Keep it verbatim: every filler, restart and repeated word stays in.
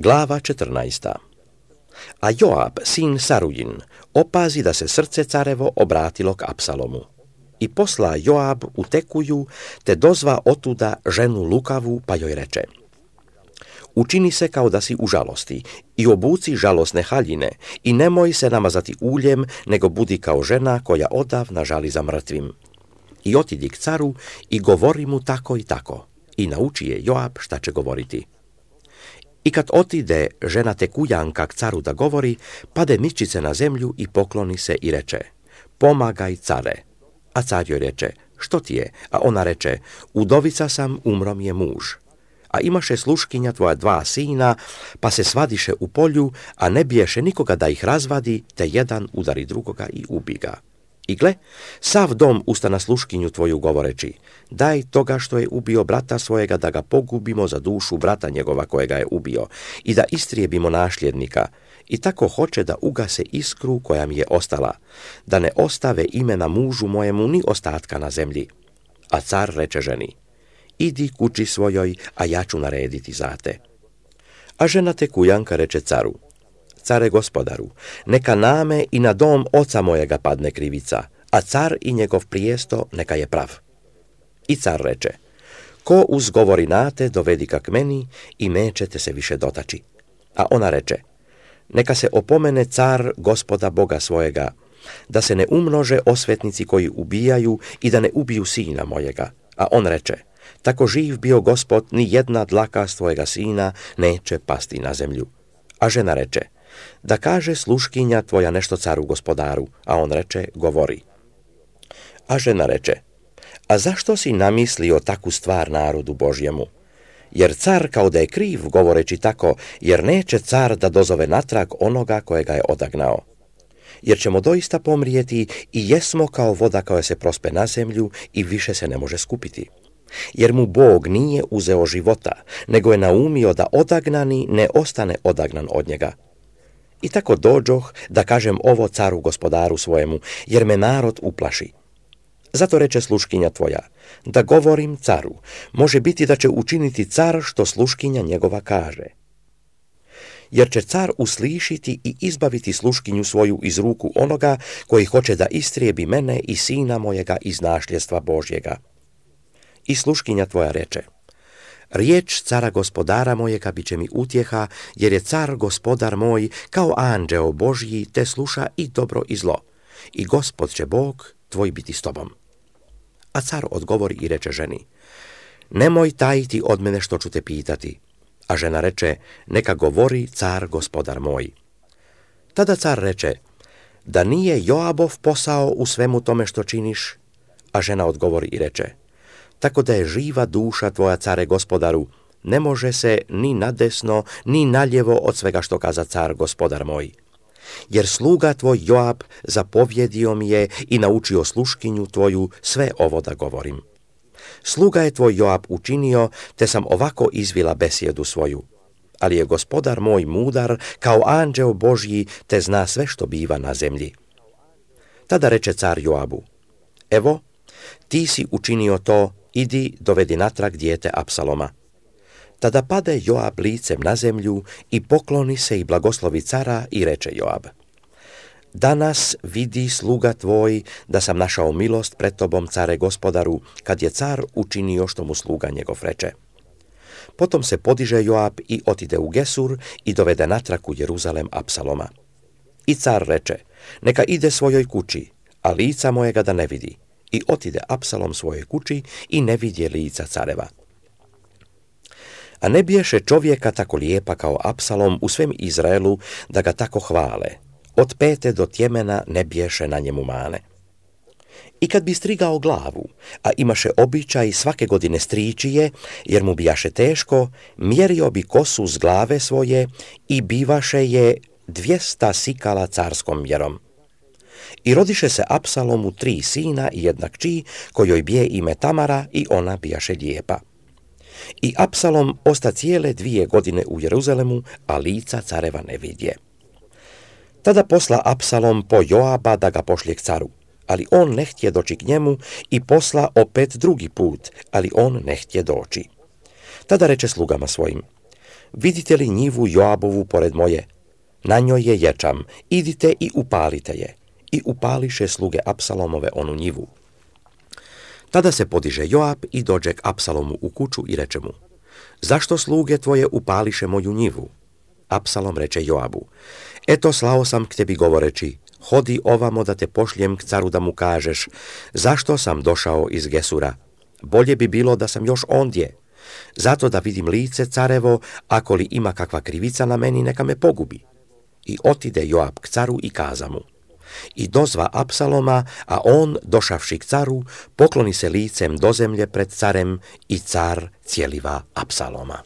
Glava četrnaesta. A Joab, sin Sarujin, opazi da se srce carevo obratilo k Apsalomu. I posla Joab u Tekuju, te dozva otuda ženu lukavu, pa joj reče: učini se kao da si u žalosti i obuci žalosne haljine i nemoj se namazati uljem, nego budi kao žena koja odavna žali za mrtvim. I otidi k caru i govori mu tako i tako. I nauči je Joab šta će govoriti. I kad otide žena Tekujanka k caru da govori, pade mičice na zemlju i pokloni se i reče: pomagaj, care. A car joj reče: što ti je? A ona reče: udovica sam, umro mi je muž. A imaše sluškinja tvoja dva sina, pa se svadiše u polju, a ne biješe nikoga da ih razvadi, te jedan udari drugoga i ubi ga. I gle, sav dom usta na sluškinju tvoju govoreći: daj toga što je ubio brata svojega da ga pogubimo za dušu brata njegova kojega je ubio i da istrijebimo nasljednika. I tako hoće da ugase iskru koja mi je ostala, da ne ostave imena mužu mojemu ni ostatka na zemlji. A car reče ženi: idi kući svojoj, a ja ću narediti za te. A žena Tekujanka reče caru: care gospodaru, neka name i na dom oca mojega padne krivica, a car i njegov prijesto neka je prav. I car reče: ko uzgovori nate, dovedi ga k meni i nećete se više dotaći. A ona reče: neka se opomene car gospoda Boga svojega, da se ne umnože osvetnici koji ubijaju i da ne ubiju sina mojega. A on reče: tako živ bio Gospod, ni jedna dlaka s tvojega sina neće pasti na zemlju. A žena reče: da kaže sluškinja tvoja nešto caru gospodaru. A on reče: govori. A žena reče: a zašto si namislio takvu stvar narodu Božjemu? Jer car kao da je kriv govoreći tako, jer neće car da dozove natrag onoga kojega je odagnao. Jer ćemo doista pomrijeti i jesmo kao voda koja se prospe na zemlju i više se ne može skupiti. Jer mu Bog nije uzeo života, nego je naumio da odagnani ne ostane odagnan od njega. I tako dođoh da kažem ovo caru gospodaru svojemu, jer me narod uplaši. Zato reče sluškinja tvoja: da govorim caru, može biti da će učiniti car što sluškinja njegova kaže. Jer će car uslišiti i izbaviti sluškinju svoju iz ruku onoga koji hoće da istrijebi mene i sina mojega iz nasljedstva Božjega. I sluškinja tvoja reče: riječ cara gospodara mojega bit će mi utjeha, jer je car gospodar moj kao anđeo Božji, te sluša i dobro i zlo. I Gospod će Bog tvoj biti s tobom. A car odgovori i reče ženi: nemoj tajiti od mene što ću te pitati. A žena reče: neka govori car gospodar moj. Tada car reče: da nije Joabov posao u svemu tome što činiš? A žena odgovori i reče: tako da je živa duša tvoja, care gospodaru, ne može se ni nadesno, ni naljevo od svega što kaza car gospodar moj. Jer sluga tvoj Joab zapovjedio mi je i naučio sluškinju tvoju sve ovo da govorim. Sluga je tvoj Joab učinio, te sam ovako izvila besjedu svoju. Ali je gospodar moj mudar kao anđeo Božji, te zna sve što biva na zemlji. Tada reče car Joabu: evo, ti si učinio to, idi dovedi natrag dijete Apsaloma. Tada pade Joab licem na zemlju i pokloni se i blagoslovi cara i reče Joab: danas vidi sluga tvoj da sam našao milost pred tobom, care gospodaru, kad je car učinio što mu sluga njegov reče. Potom se podiže Joab i otide u Gesur i dovede natrag u Jeruzalem Apsaloma. I car reče: neka ide svojoj kući, a lica mojega da ne vidi. I otide Apsalom svojoj kući i ne vidje lica careva. A ne biješe čovjeka tako lijepa kao Apsalom u svem Izraelu da ga tako hvale. Od pete do tjemena ne biješe na njemu mane. I kad bi strigao glavu, a imaše običaj svake godine strići je, jer mu bijaše teško, mjerio bi kosu s glave svoje i bivaše je dvjesta sikala carskom mjerom. I rodiše se Apsalomu tri sina i jedna kći, kojoj bije ime Tamara i ona bijaše lijepa. I Apsalom osta cijele dvije godine u Jeruzalemu, a lica careva ne vidje. Tada posla Apsalom po Joaba da ga pošlje k caru, ali on ne htje doći k njemu, i posla opet drugi put, ali on ne htje doći. Tada reče slugama svojim: vidite li njivu Joabovu pored moje? Na njoj je ječam, idite i upalite je. I upališe sluge Apsalomove onu njivu. Tada se podiže Joab i dođe k Apsalomu u kuću i reče mu: zašto sluge tvoje upališe moju njivu? Apsalom reče Joabu: eto, slao sam k tebi govoreći, hodi ovamo da te pošljem k caru da mu kažeš, zašto sam došao iz Gesura? Bolje bi bilo da sam još ondje. Zato da vidim lice carevo, ako li ima kakva krivica na meni, neka me pogubi. I otide Joab k caru i kaza mu. I dozva Apsaloma, a on, došavši k caru, pokloni se licem do zemlje pred carem i car cijeliva Apsaloma.